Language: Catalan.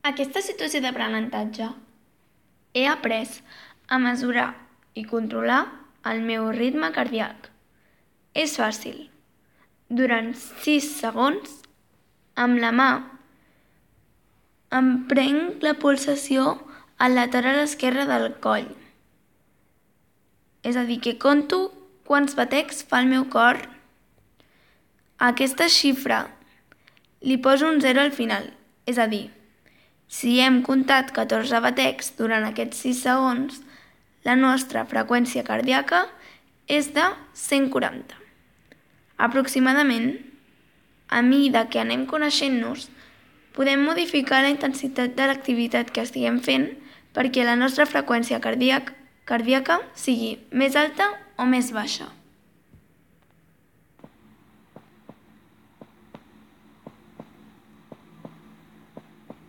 Aquesta situació d'aprenentatge he après a mesurar i controlar el meu ritme cardíac. És fàcil. Durant 6 segons, amb la mà, em prenc la pulsació al lateral esquerre del coll. És a dir, que conto quants batecs fa el meu cor. A aquesta xifra li poso un 0 al final. És a dir, si hem comptat 14 batecs durant aquests 6 segons, la nostra freqüència cardíaca és de 140. Aproximadament, a mesura que anem coneixent-nos, podem modificar la intensitat de l'activitat que estiguem fent perquè la nostra freqüència cardíaca sigui més alta o més baixa.